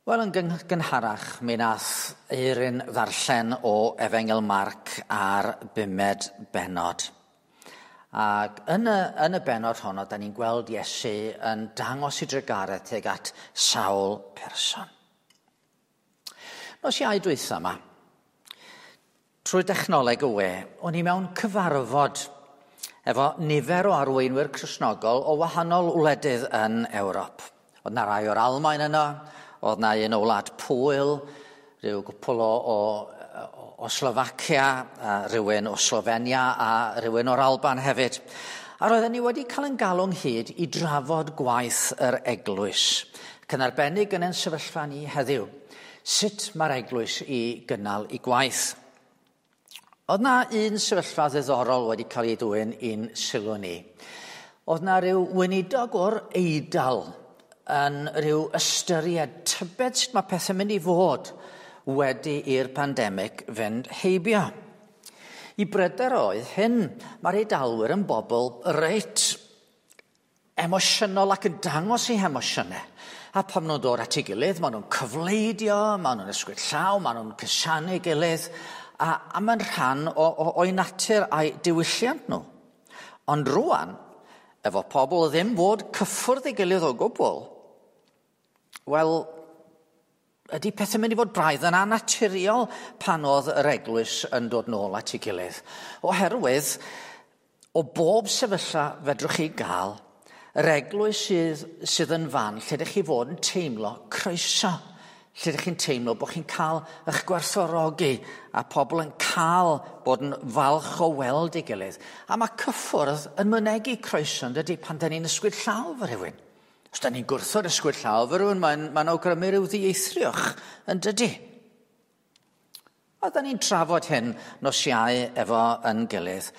Wel, yn gynharach, mi nath Eirin ddarllen o Efengyl Marc ar bumed bennod. Ac yn y bennod honno, da ni'n gweld Iesu yn dangos ei drugaredd tuag at sawl person. Nos Iau dwytha yma, trwy dechnoleg y we, o'n i mewn cyfarfod efo nifer o arweinwyr Cristnogol o wahanol wledydd yn Ewrop. Oedd 'na rai o'r Almaen yno, oedd 'na un o Wlad Pwyl, rhyw gwpl o Slofacia, a rhywun o Slofenia a rhywun o'r Alban hefyd. A roedden ni wedi cael ein galw ynghyd i drafod gwaith yr eglwys, ac yn arbennig yn ein sefyllfa ni heddiw, sut mae'r eglwys i gynnal ei gwaith. Oedd 'na un sefyllfa ddiddorol wedi cael ei dwyn i'n sylw ni. Oedd 'na ryw weinidog o'r Eidal yn rhyw ystyried tybed sut mae pethau'n mynd i fod wedi i'r pandemig fynd heibio. I bryder oedd hyn, mae'r Eidalwyr yn bobl reit emosiynol ac yn dangos eu hemosiynau. A pan maen nhw'n dod at ei gilydd, maen nhw'n cyfleidio, maen nhw'n ysgwyd llaw, maen nhw'n cusanu ei gilydd, a mae'n rhan o'i natur a'i diwylliant nhw. Ond rwan, efo pobl ddim fod cyffwrdd ei gilydd o gwbl, wel, ydy pethau'n mynd i fod braidd yn annaturiol pan oedd yr eglwys yn dod nôl at ei gilydd? Oherwydd, o bob sefyllfa fedrwch chi gael, yr eglwys sydd yn fan lle ydych chi fod yn teimlo croeso, lle ydych chi'n teimlo bod chi'n cael eich gwerthfawrogi a pobl yn cael bod yn falch o weld ei gilydd. A mae cyffwrdd yn mynegi croeso, yn dydy, pan da ni'n ysgwyd llaw fo rhywun. Os da ni'n gwrthod ysgwyd llaw fo rhywun, mae'n awgrymu rhyw ddieithriwch, yn dydy. A da ni'n trafod hyn nos Iau efo yn gilydd.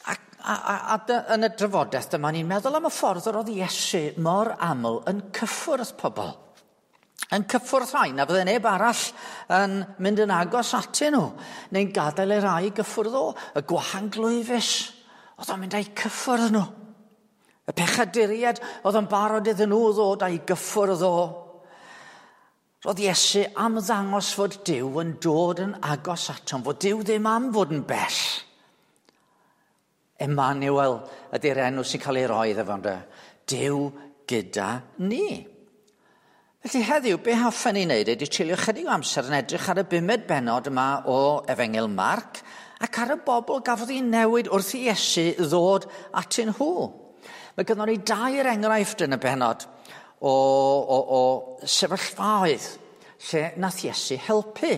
A yn y drafodaeth dyma ni'n meddwl am y ffordd yr oedd Iesu mor aml yn cyffwrdd pobl. Yn cyffwrdd rhai na fydde neb arall yn mynd yn agos atyn nhw, neu'n gadael i rai gyffwrdd o, y gwahanglwyfus, oedd o'n mynd â'i cyffwrdd nhw. Y pechaduriaid oedd yn barod iddyn nhw ddod â'i gyffwrdd o. Roedd Iesu am ddangos fod Duw yn dod yn agos atom, fod Duw ddim am fod yn bell. Emmanuel ydy'r enw sy'n cael ei roi iddo fo, ynde? Duw gyda ni. Felly heddiw, be hoffen ni wneud ydy treulio chydig o amser yn edrych ar y bumed bennod yma o Efengyl Marc ac ar y bobl gafodd ei newid wrth i Iesu ddod atyn nhw. Mae gynnon ni dair enghraifft yn y bennod o sefyllfaoedd lle nath Iesu helpu.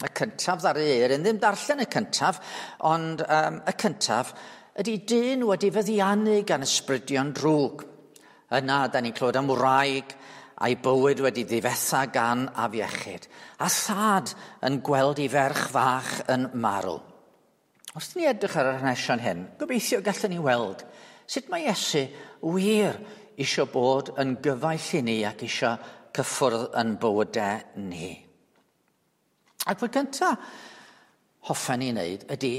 Y cyntaf ddaru Eirin ddim darllen y cyntaf, ond y cyntaf ydy dyn wedi feddiannu gan ysbrydion drwg. Yna, da ni'n clywed am wraig a'i bywyd wedi ddifetha gan afiechyd, a thad yn gweld ei ferch fach yn marw. Wrth ni edrych ar yr hanesion hyn, gobeithio gallwn ni weld sut mae Iesu wir isio bod yn gyfaill i ni ac isio cyffwrdd yn bywydau ni. Ac fy gyntaf hoffen ni wneud ydy,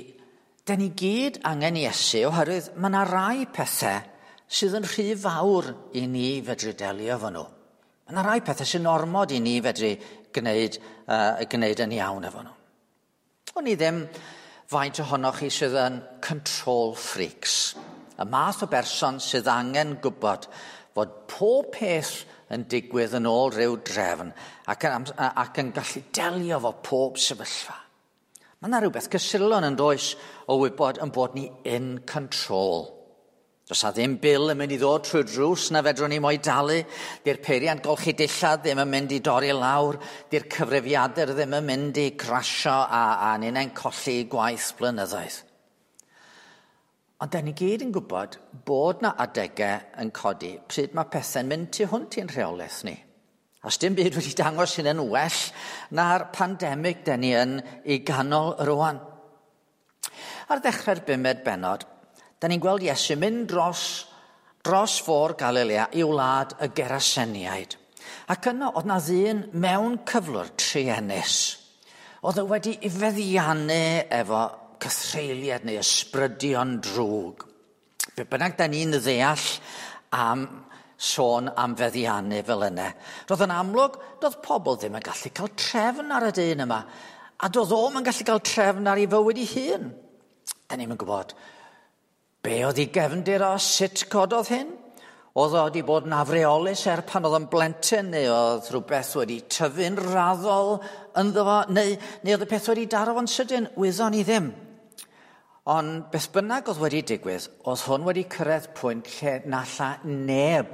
da ni gyd angen Iesu oherwydd mae yna rai pethau sydd yn rhy fawr i ni fedru delio efo nhw. Mae yna rai pethau sy'n ormod i ni fedru gwneud yn iawn efo nhw. O'n i ddim faint ohonoch chi sydd yn control freaks. Y math o berson sydd angen gwybod fod pob peth yn digwydd yn ôl rhyw drefn ac yn gallu delio efo pob sefyllfa. Mae yna rhywbeth cysurlon yn does o wybod yn bod ni in control. Does a ddim bil yn mynd i ddod trwy'r drws na fedrwn ni mo'i dalu. Di'r peiriant golchi dillad ddim yn mynd i dorri lawr. Di'r cyfrifiadur ddim yn mynd i crasio a ninnau'n colli gwaith blynyddoedd. Ond da ni gyd yn gwybod bod na adegau yn codi pryd mae pethau'n mynd tu hwnt i'n rheolaeth ni. A dim byd wedi dangos hyn yn well na'r pandemig da ni yn ei ganol rwan. Ar ddechrau'r bumed bennod, da ni'n gweld Iesu mynd dros fôr Galilea i wlad y Geraseniaid. Ac yno oedd na ddyn mewn cyflwr truenus. Oedd o wedi ei feddiannu efo cythreuliad neu ysbrydion drwg. Be bynnag da ni'n ddeall am sôn am feddiannu fel yna. Roedd yn amlwg, doedd pobl ddim yn gallu cael trefn ar y dyn yma, a doedd o'm yn gallu cael trefn ar ei fywyd ei hun. Da ni'm yn gwybod be oedd ei gefndir o, sut cododd hyn. Oedd o wedi bod yn afreolus er pan oedd yn blentyn, neu oedd rhywbeth wedi tyfu'n raddol ynddo fo, neu oedd y peth wedi daro fo'n sydyn, wyddon ni ddim. Ond beth bynnag oedd wedi digwydd, oedd hwn wedi cyrraedd pwynt lle na alla neb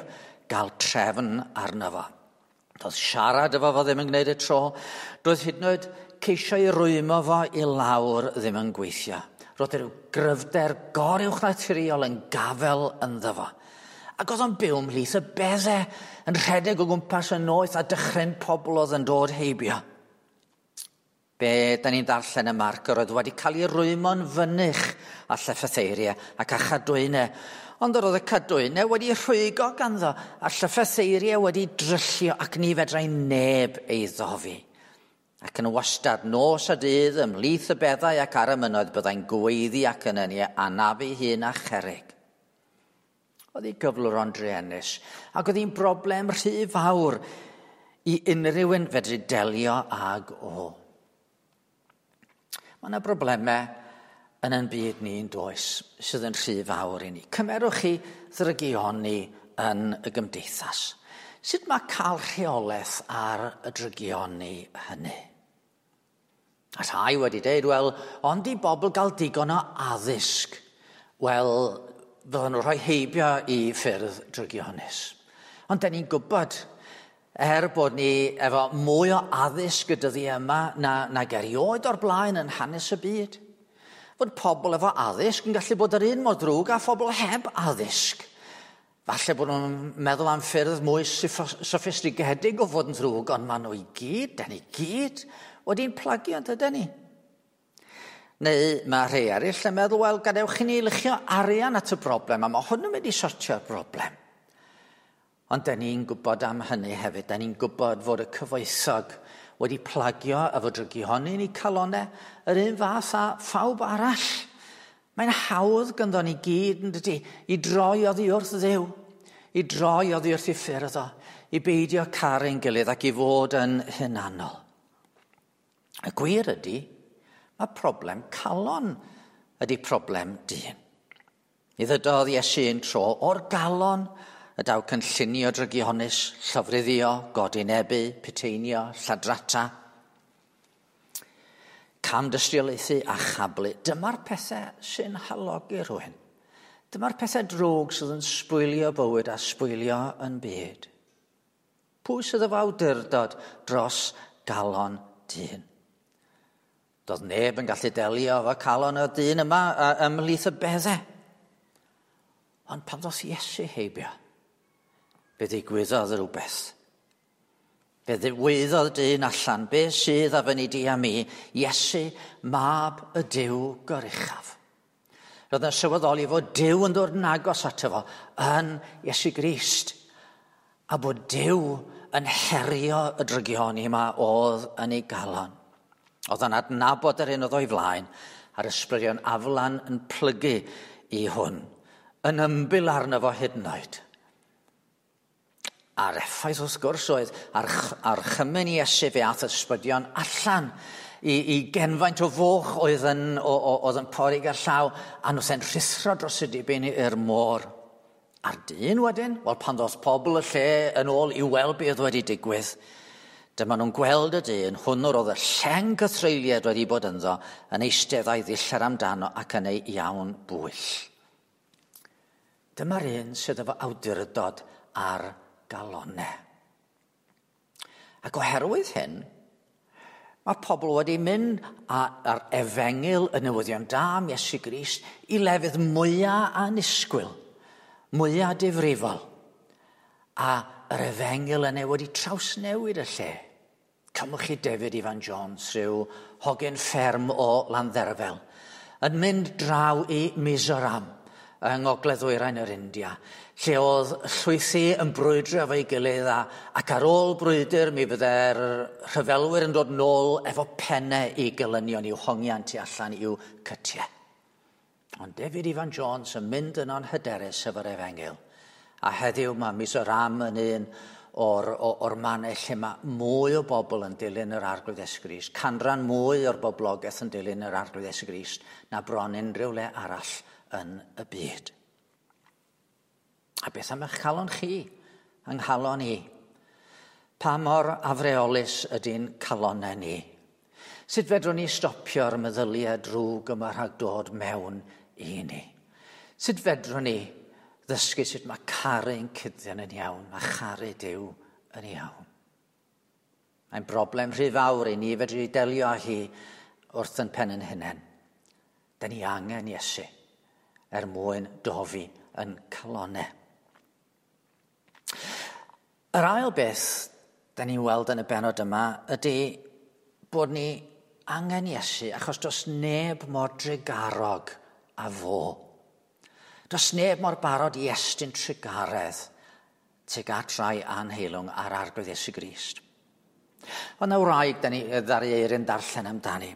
gael trefn arno fo. Doedd siarad efo fo ddim yn gwneud y tro. Doedd hyd yn oed ceisio i rwymo fo i lawr ddim yn gweithio. Roedd rhyw gryfder goruwchnaturiol yn gafel ynddo fo. Ac oedd o'n byw ymhlith y beddau, yn rhedeg o gwmpas y noeth a dychryn pobl oedd yn dod heibio. Be da ni'n darllen y Marc, yr oedd wedi cael ei rwymo'n fynych â llyffetheiriau ac â chadwynau. Ond yr oedd y cadwynau wedi rhwygo ganddo, a llyffetheiriau wedi dryllio ac ni fedrai neb ei ddofi. Ac yn wastad, nos a dydd, ymhlith y beddau ac ar y mynnoedd, byddai'n gweiddi ac yn ei anafu hun a cherrig. Oedd ei gyflwr o'n druenus, ac oedd hi'n broblem rhy fawr i unrhyw un fedru delio ag o. Mae yna broblemau yn ein byd ni'n does sydd yn rhy fawr i ni. Cymerwch chi ddrygioni yn y gymdeithas. Sut mae cael rheolaeth ar y drygioni hynny? A rhai wedi dweud, wel, ond i bobl gael digon o addysg, wel, fydden nhw rhoi heibio i ffyrdd drygionus. Ond da ni'n gwybod, er bod ni efo mwy o addysg y dyddiau yma nag erioed o'r blaen yn hanes y byd, fod pobl efo addysg yn gallu bod yr un mor ddrwg â phobl heb addysg. Falle bod nhw'n meddwl am ffyrdd mwy soffistigedig o fod yn ddrwg, ond maen nhw i gyd, da ni gyd, wedi'n plagio, dydyn ni? Neu mae rhai eraill yn meddwl, wel, gadewch i ni luchio arian at y broblem, a mae hwn yn mynd i sortio'r broblem. Ond da ni'n gwybod am hynny hefyd. Da ni'n gwybod fod y cyfoethog wedi plagio efo drygihoni yn eu calonau yr un fath â phawb arall. Mae'n hawdd ganddo ni gyd, yn dydi, i droi oddi wrth Dduw, i droi oddi wrth ei ffyrdd o, i beidio caru'n gilydd ac i fod yn hunanol. Y gwir ydy, mae problem calon ydy problem dyn. Mi ddydodd Iesu un tro o'r galon y daw cynllunio drygionus, llofruddio, godinebu, piteinio, lladrata, camdystiolaethu a chablu. Dyma'r pethau sy'n halogi rhywun. Dyma'r pethau drwg sydd yn sbwylio bywyd a sbwylio yn byd. Pwy sydd efo awdurdod dros galon dyn? Doedd neb yn gallu delio efo calon y dyn yma ymhlith y beddau. Ond pan ddoth Iesu heibio, fe ddigwyddodd rhywbeth. Fe ddigwyddodd dyn allan, be sydd a fyny di a mi, Iesu, mab y Duw goruchaf. Roedd yn sylweddoli fod Duw yn dod yn agos ato fo yn Iesu Grist, a bod Duw yn herio y drygioni yma oedd yn ei galon. Oedd yn adnabod yr un oedd o'i flaen, a'r ysbrydion aflan yn plygu i hwn, yn ymbil arno fo hyd yn oed. A'r effaith wrth gwrs oedd ar chymyn Iesu fe ath ysbrydion allan i genfaint o foch oedd yn pori ger llaw, a nhw se'n rhuthro dros y dibyn i'r môr. A'r dyn wedyn, wel pan ddoth pobl y lle yn ôl i weld beth oedd wedi digwydd, dyma nhw'n gweld y dyn, hwnnw oedd y lleng gythreuliad wedi bod ynddo, yn eistedd a'i ddillad amdano ac yn ei iawn bwyll. Dyma'r un sydd efo awdurdod ar galonau. Ac oherwydd hyn, mae pobl wedi mynd ar efengyl y newyddion da am Iesu Grist i lefydd mwyaf annisgwyl, mwyaf difrifol. A yr efengyl yna wedi trawsnewid y lle. Cymwch chi David Ifan Jones, rhyw hogyn fferm o Landderfel, yn mynd draw i Mizoram yng Ngogledd-ddwyrain yr India, lle oedd llwythi yn brwydro efo'i gilydd ac ar ôl brwydr mi fydde'r rhyfelwyr yn dod nôl efo pennau i gelynion i'w hongian tu allan i'w cytiau. Ond David Ifan Jones yn mynd yno'n hyderus efo'r efengyl, A heddiw mae Mizoram yn un o'r mannau lle mae mwy o bobl yn dilyn yr Arglwydd Iesu Grist, canran mwy o'r boblogaeth yn dilyn yr Arglwydd Iesu Grist na bron unrhyw le arall yn y byd. A beth am eich calon chi, yng nghalon i? Pa mor afreolus ydy'n calonau ni? Sut fedrwn ni stopio'r meddyliau drwg yma rhag dod mewn i ni? Sut fedrwn ni ddysgu sut mae caru'n cyddion yn iawn, a charu Duw yn iawn? Mae'n broblem rhy fawr i ni fedru delio â hi wrth yn pen yn hunain. Da ni angen Iesu er mwyn dofi yn calonau. Yr ail beth da ni'n weld yn y benod yma ydy bod ni angen Iesu achos does neb mor drugarog â fo. Does neb mor barod i estyn trugaredd tuag at rai anheilwng ar Arglwydd Iesu Grist. Ond na wraig da ni ddaru Eirin darllen amdani.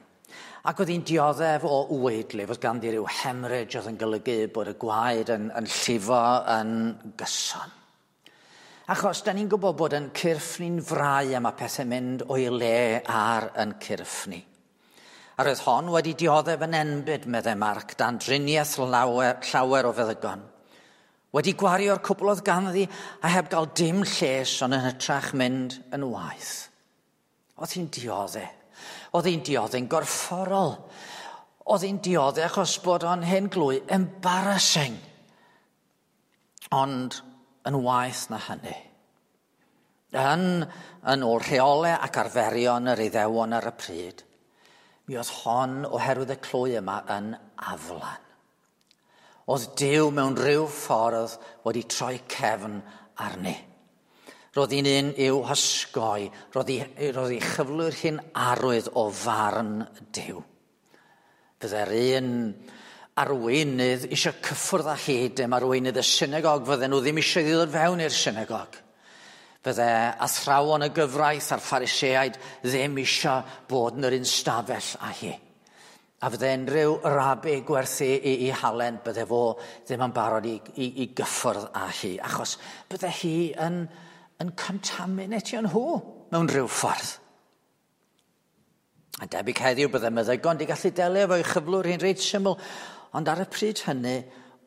Ac oedd hi'n dioddef o waedlif, oedd ganddi rhyw hemorrhage oedd yn golygu bod y gwaed yn llifo yn gyson. Achos da ni'n gwybod bod yn cyrff ni'n frau a mae pethau'n mynd o'i le ar yn cyrff ni. A roedd hon wedi dioddef yn enbyd, meddai Marc, dan driniaeth llawer o feddygon. Wedi gwario'r cwbl oedd ganddi a heb gael dim lles ond yn hytrach mynd yn waeth. Oedd hi'n dioddef. Oedd hi'n dioddef'n gorfforol. Oedd hi'n dioddef achos bod o'n hen glwy embarrassing. Ond yn waeth na hynny. Yn ôl rheolau ac arferion yr Iddewon ar y pryd, mi oedd hon oherwydd y clwy yma yn aflan. Oedd Duw mewn rhyw ffordd wedi troi cefn arni. Roedd hi'n un i'w hysgoi, roedd hi chyflwyr hi'n arwydd o farn Duw. Fydde'r un arweinydd eisiau cyffwrdd â hi, dim arweinydd y synagog, fydden nhw ddim eisiau ddod fewn i'r synagog. Fydde athrawon y gyfraith a'r Phariseaid ddim eisiau bod yn yr un stafell â hi. A fydde unrhyw rabi gwerthu i halen, bydde fo ddim yn barod i gyffwrdd â hi, achos bydde hi yn contaminatio nhw mewn rhyw ffordd. A debyg heddiw bydde meddygon wedi gallu delio efo'i chyflwr hi'n reit syml, ond ar y pryd hynny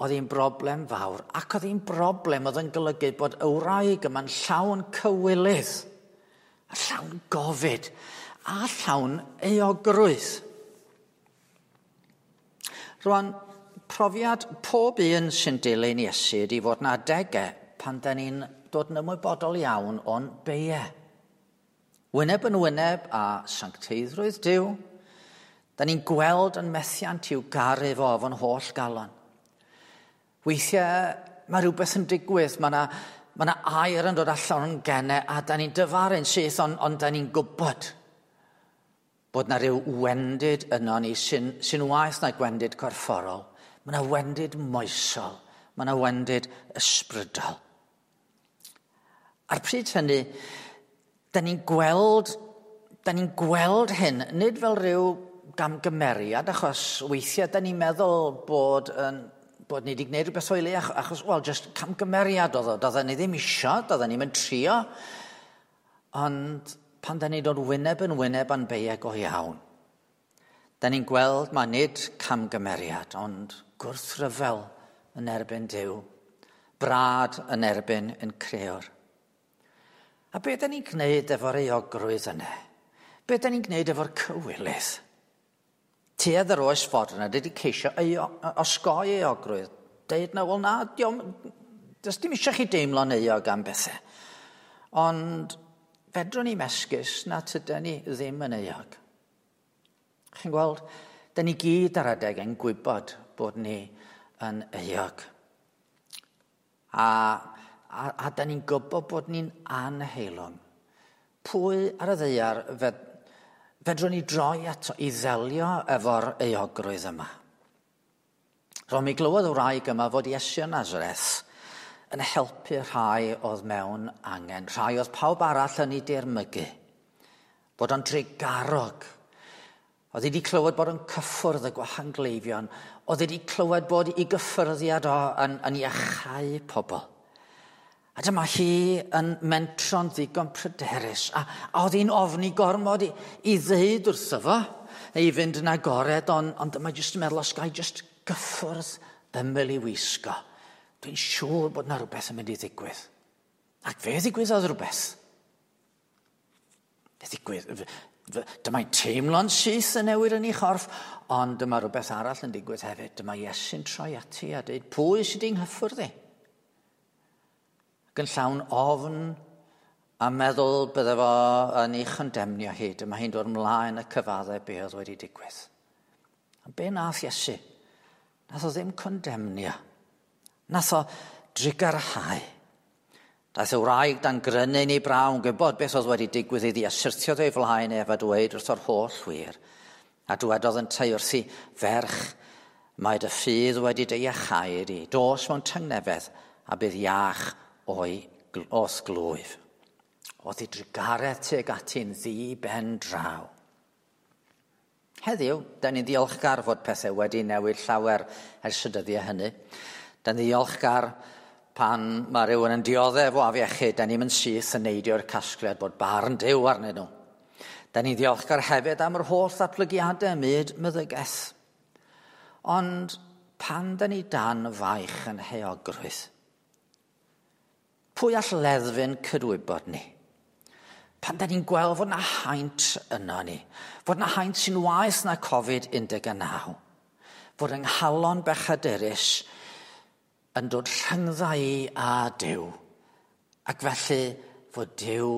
oedd hi'n broblem fawr, ac oedd hi'n broblem oedd yn golygu bod y wraig yma'n llawn cywilydd, a llawn gofid, a llawn euogrwydd. Rwan, profiad pob un sy'n dilyn Iesu ydy fod na adegau pan da ni'n dod yn ymwybodol iawn o'n beiau. Wyneb yn wyneb a sancteiddrwydd Duw, da ni'n gweld yn methiant i'w garu fo efo'n holl galon. Weithiau mae rhywbeth yn digwydd, mae yna air yn dod allan o'n gennau a da ni'n dyfaru'n syth, ond da ni'n gwybod bod na rhyw wendid yno ni sy'n waeth na gwendid corfforol. Mae yna wendid moesol, mae yna wendid ysbrydol. A'r pryd hynny, da ni'n gweld hyn, nid fel rhyw gamgymeriad, achos weithiau da ni'n meddwl bod ni wedi gwneud rhywbeth o'i le, achos, wel, just camgymeriad oedd o, doedden ni ddim isio, doedden ni'n trio. Ond pan da ni'n dod wyneb yn wyneb a'n beiau go iawn, da ni'n gweld mae nid camgymeriad, ond gwrthryfel yn erbyn Duw, brad yn erbyn yn creor. A be da ni'n gwneud efo'r euogrwydd yna? Be da ni'n gwneud efo'r cywilydd? Tuedd yr oes fodern ydy ceisio osgoi euogrwydd. Deud na, wel na, does dim eisiau chi deimlo'n euog am bethau. Ond fedrwn ni mesgus na tydan ni ddim yn euog. Chi'n gweld, da ni gyd ar adeg yn gwybod bod ni yn euog. A da ni'n gwybod bod ni'n anheilwng. Pwy ar y ddaear fedrwn ni droi ato i ddelio efo'r euogrwydd yma? Ro'n mi glywodd y wraig yma fod Iesu o Nazareth yn helpu rhai oedd mewn angen, rhai oedd pawb arall yn ei dirmygu, bod o'n drugarog. Oedd wedi clywed bod o'n cyffwrdd y gwahangleifion, oedd wedi clywed bod ei gyffyrddiad o yn iachau pobl. A dyma hi yn mentro'n ddigon pryderus, a oedd hi'n ofni gormod i ddeud wrtho fo, neu i fynd yn agored, ond dyma jyst yn meddwl, os ga i jyst gyffwrdd ymyl i wisgo, dwi'n siŵr bod na rhywbeth yn mynd i ddigwydd. Ac fe ddigwyddodd rhywbeth. Fe ddigwydd, dyma'n teimlo'n syth yn newid yn ei chorff, ond dyma rhywbeth arall yn digwydd hefyd. Dyma Iesu'n troi ati a dweud, pwy sydd wedi'n nghyffwrdd i? Ac yn llawn ofn a meddwl bydde fo yn ei chondemnio hi. Dyma hi'n dod ymlaen y cyfaddau be oedd wedi digwydd. A be nath Iesu? Nath o ddim condemnio. Nath o drugarhau. Daeth y wraig dan grynu yn ei braw yn gwybod beth oedd wedi digwydd iddi a syrthiodd o'i flaen ef a dweud wrth o'r holl wir. A dywedodd yntau wrthi, ferch, mae dy ffydd wedi dy iachau di. Dos mewn tangnefedd a bydd iach o'i o'th glwyf. Oedd ei drugaredd tuag ati'n ddi ben draw. Heddiw, da ni'n ddiolchgar fod pethau wedi newid llawer ers y dyddiau hynny. Da ni'n ddiolchgar pan mae rhywun yn dioddef o afiechyd, da ni'n mynd syth yn neidio'r casgliad bod barn Duw arnyn nhw. Da ni'n ddiolchgar hefyd am yr holl ddatblygiadau ym myd meddygaeth. Ond pan da ni dan faich yn heogrwydd, pwy all leddfu'n cydwybod ni? Pan da ni'n gweld fod na haint yno ni, fod na haint sy'n waeth na Covid-19, fod yng nghalon bechadurus yn dod rhyngdda i a Duw, ac felly fod Duw,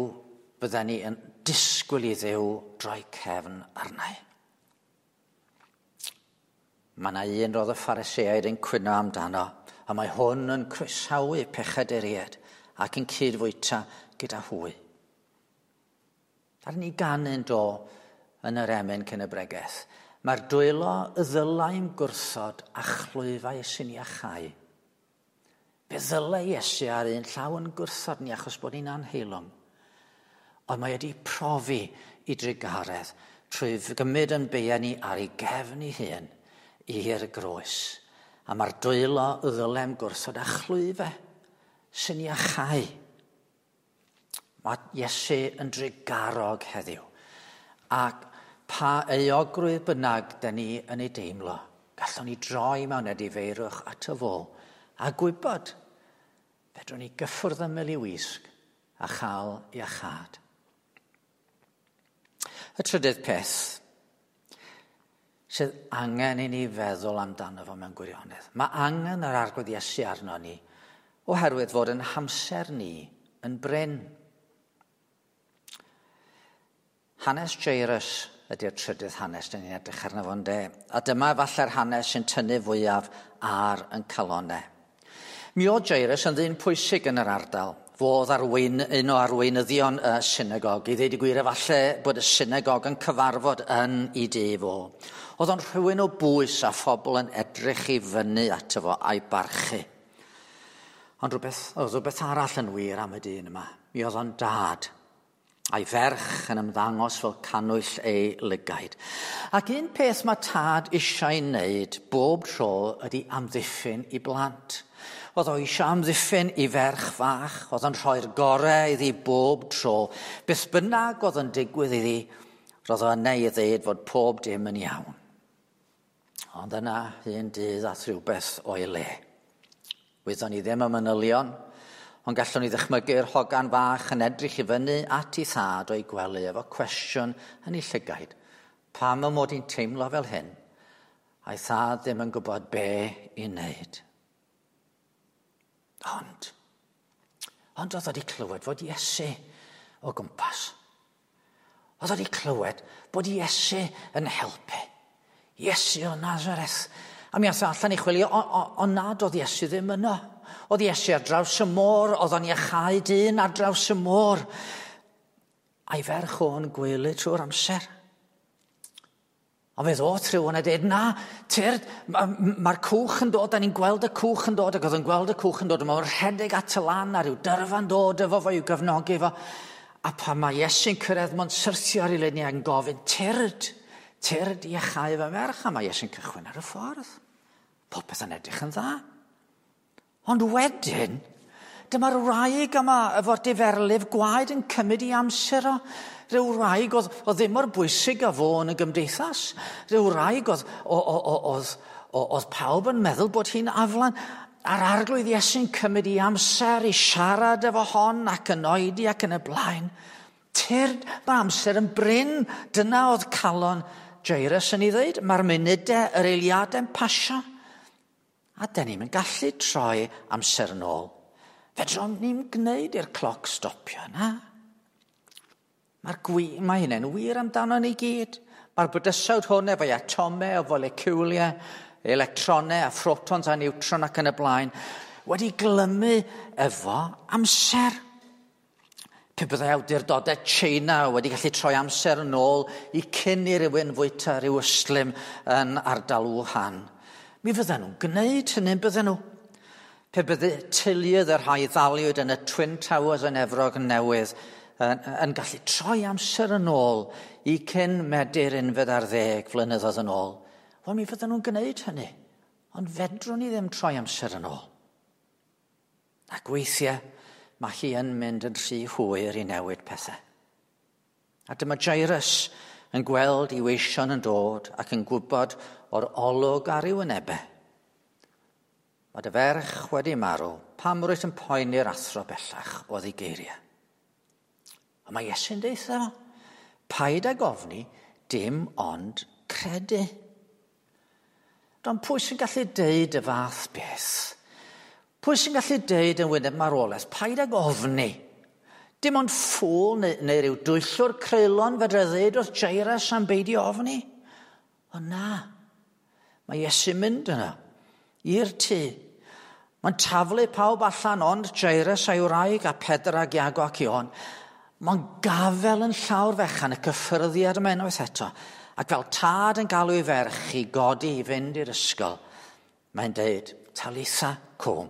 bydden ni yn disgwyl i Dduw droi cefn arna i. Mae yna un roedd y Phariseaid yn cwyno amdano, a mae hwn yn croesawu pechaduriaid ac yn cydfwyta gyda hwy. Ar ni ganu'n do yn yr emyn cyn y bregeth. Mae'r dwylo y ddylai'n gwrthod a chlwyfau sy'n iachau. Fe ddylai Iesu ar un llaw yn gwrthod ni achos bod ni'n anheilwng. Ond mae wedi profi i drugaredd trwy gymryd yn beia ni ar ei gefn ei hun i'r groes. A mae'r dwylo y ddylem gwrthod a chlwyfau sy'n iachau. Mae Iesu yn drugarog heddiw. Ac pa euogrwydd bynnag da ni yn ei deimlo, gallwn ni droi mewn edifeirwch ato fo a gwybod fedrwn ni gyffwrdd ymyl i wisg a chael iachâd. Y trydydd peth sydd angen i ni feddwl amdano fo mewn gwirionedd. Mae angen yr Arglwydd Iesu arno ni oherwydd fod yn hamser ni yn brin. Hanes Jairus ydy'r trydydd hanes dyn ni'n edrych arno fo'n de. A dyma falle'r hanes sy'n tynnu fwyaf ar yn calonau. Mi oedd Jairus yn ddyn pwysig yn yr ardal. Fo oedd un o arweinyddion y synagog. I ddeud y gwir, efallai bod y synagog yn cyfarfod yn ei dŷ fo. Oedd o'n rhywun o bwys a phobl yn edrych i fyny ato fo a'i barchu. Ond oedd rhywbeth arall yn wir am y dyn yma. Mi oedd o'n dad, a'i ferch yn ymddangos fel cannwyll ei lygaid. Ac un peth mae tad eisiau wneud bob tro ydy amddiffyn i blant. Oedd o eisiau amddiffyn i ferch fach, oedd o'n rhoi'r gorau iddi bob tro. Beth bynnag oedd yn digwydd iddi, roedd o yna i ddeud fod pob dim yn iawn. Ond yna un dydd ath rhywbeth o'i le. Wyddon ni ddim y manylion, ond gallwn ni ddychmygu'r hogan fach yn edrych i fyny at ei thad o'i gwely efo cwestiwn yn ei llygaid. Pam y mod i'n teimlo fel hyn? A'i thad ddim yn gwybod be i wneud. Ond oedd wedi clywed fod Iesu o gwmpas. Oedd wedi clywed bod Iesu yn helpu. Iesu o Nazareth. A mi ath allan i chwilio, ond nad oedd Iesu ddim yno. Oedd Iesu ar draws y môr, oedd o'n iachau dyn ar draws y môr. A'i ferch o'n gwely trwy'r amser. Ond fe ddod rhywun a dweud, na, tyrd, mae'r cwch yn dod, da ni'n gweld y cwch yn dod, ac oedd yn gweld y cwch yn dod, a mae'n rhedeg at y lan a rhyw dyrfa'n dod efo fo i'w gefnogi fo. A pan mae Iesu'n cyrraedd, mae'n syrthio ar ei liniau yn gofyn, tyrd, tyrd i iachau fy merch, a mae Iesu'n cychwyn ar y ffordd. Popeth yn edrych yn dda. Ond wedyn, Dyma'r wraig yma efo'r diferlif gwaed yn cymryd i amser o. Rhyw wraig oedd, oedd ddim mor bwysig â fo yn y gymdeithas. Rhyw wraig oedd, oedd, oedd pawb yn meddwl bod hi'n aflan. A'r arglwydd Iesu'n cymryd i amser i siarad efo hon ac yn oedi ac yn y blaen. Tyrd, mae amser yn brin. Dyna oedd calon Jairus yn ei ddweud. Mae'r munudau, yr eiliadau'n pasio. A dyn ni'n gallu troi amser yn ôl. Fedrwn ni'n gwneud i'r cloc stopio, na? Mae'r gwi, mae hynny'n wir amdano ni gyd. Mae'r bydysawd hwn efo'i atomau, o foleciwliau, electronau a phrotons a niwtron ac yn y blaen, wedi glymu efo amser. Pe byddai awdurdodau China wedi gallu troi amser yn ôl i cyn i rywun fwyta rhyw ystlum yn ardal Wuhan, mi fydden nhw'n gwneud hynny, bydden nhw. Pe bydde teuluoedd y rhai ddaliwyd yn y Twin Towers yn Efrog Newydd yn, yn gallu troi amser yn ôl i cyn Medi'r 11 flynyddoedd yn ôl, wel mi fydden nhw'n gwneud hynny. Ond fedrwn ni ddim troi amser yn ôl. Ac weithiau, mae hi yn mynd yn rhy hwyr i newid pethau. A dyma Jairus yn gweld i weision yn dod ac yn gwybod o'r olwg ar ei wynebau. Mae dy ferch wedi marw, pam rwyt yn poeni'r athro bellach oedd ei geiriau. A mae Iesu'n deutha, paid ag ofni, dim ond credu. Don pwy sy'n gallu deud y fath beth? Pwy sy'n gallu deud yn wyneb marwolaeth, paid ag ofni. Dim ond ffôl neu, neu rhyw dwyllwr creulon fedra ddeud wrth Jairus am beidio ofni. Ond na, mae Iesu'n mynd yna, i'r tŷ. Mae'n taflu pawb allan ond Jairus a'i wraig a Pedr ag Iago ac Ion. Mae'n gafel yn llawr fechan y cyffyrddiad yma unwaith eto. Ac fel tad yn galw ei ferch i godi i fynd i'r ysgol, mae'n deud, Talitha cwm,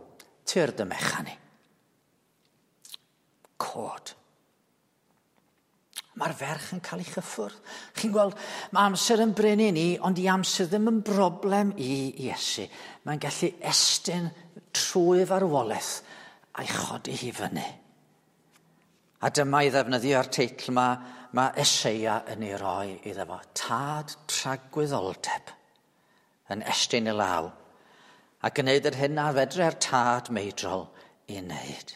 tyrd y mechan i. Cod. Mae'r ferch yn cael ei chyffwrdd. Chi'n gweld, mae amser yn brin i ni, ond i amser ddim yn broblem i Iesu. Mae'n gallu estyn trwy farwolaeth a'i chodi hi fyny. A dyma i ddefnyddio'r teitl yma, mae Eseia yn ei roi iddo fo. Tad tragwyddoldeb yn estyn y law a gwneud yr hyn a fedre'r tad meidrol i wneud.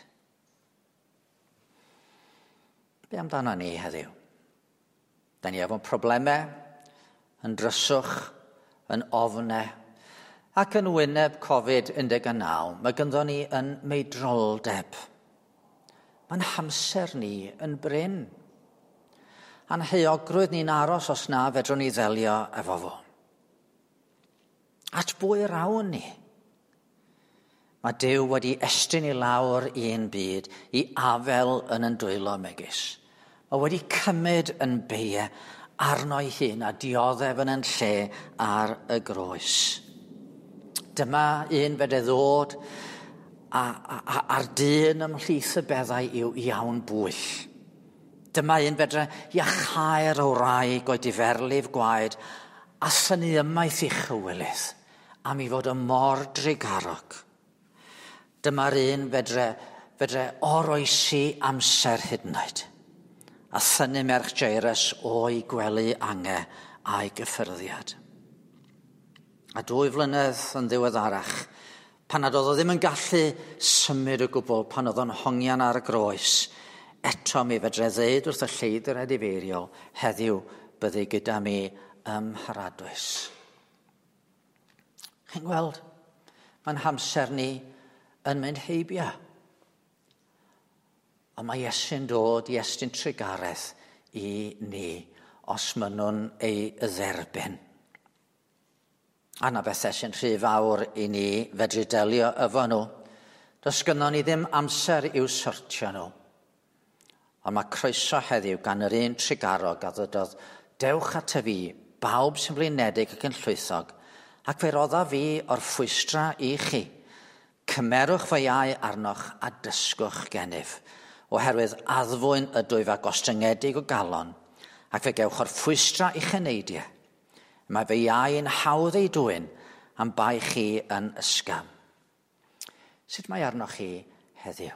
Be amdano ni heddiw? Da ni efo problemau, yn dryswch, yn ofnau, ac yn wyneb Covid-19, mae gynddo ni yn meidroldeb. Mae'n hamser ni yn brin. A'n heuogrwydd ni'n aros os na fedrwn ni ddelio efo fo. At bwy rawn ni? Mae Duw wedi estyn i lawr un byd i afel yn yn dwylo megis. Mae wedi cymryd yn beie arno'i hun a dioddef yn yn lle ar y groes. Dyma un fedre ddod a, a, a, a'r dyn ymhlith y beddau yw iawn bwyll. Dyma un fedre iachau'r o wraig o'i diferlif gwaed a synnu ymaith i chywilydd am i fod y mor drugarog. Dyma'r un fedre, fedre oroesi amser hyd yn oed. A thynnu merch Jairus o'i gwely ange a'i gyffyrddiad. A 2 flynedd yn ddiweddarach, pan nad oedd o ddim yn gallu symud o gwbl, pan oedd o'n hongian ar y groes, eto mi fedre ddeud wrth y lleidr edifeiriol, heddiw byddu gyda mi ym Mharadwys. Chi'n gweld, mae'n hamser ni yn mynd heibio. Ond mae Iesu'n dod i estyn trugaredd i ni os maen nhw'n ei dderbyn. A na bethau sy'n rhy fawr i ni fedru delio efo nhw. Does gynnon ni ddim amser i'w sortio nhw. Ond mae croeso heddiw gan yr un trugarog a ddydodd, dewch at y fi, bawb sy'n flinedig ac yn llwythog, ac fe rodda fi o'r ffwystra i chi. Cymerwch fy iau arnoch a dysgwch gennyf, oherwydd addfwyn ydwyf a gostyngedig o galon, ac fe gewch o'r ffwystra i'ch eneidiau. Mae fy iau yn hawdd ei dwyn am bai chi yn ysgam. Sut mae arnoch chi heddiw?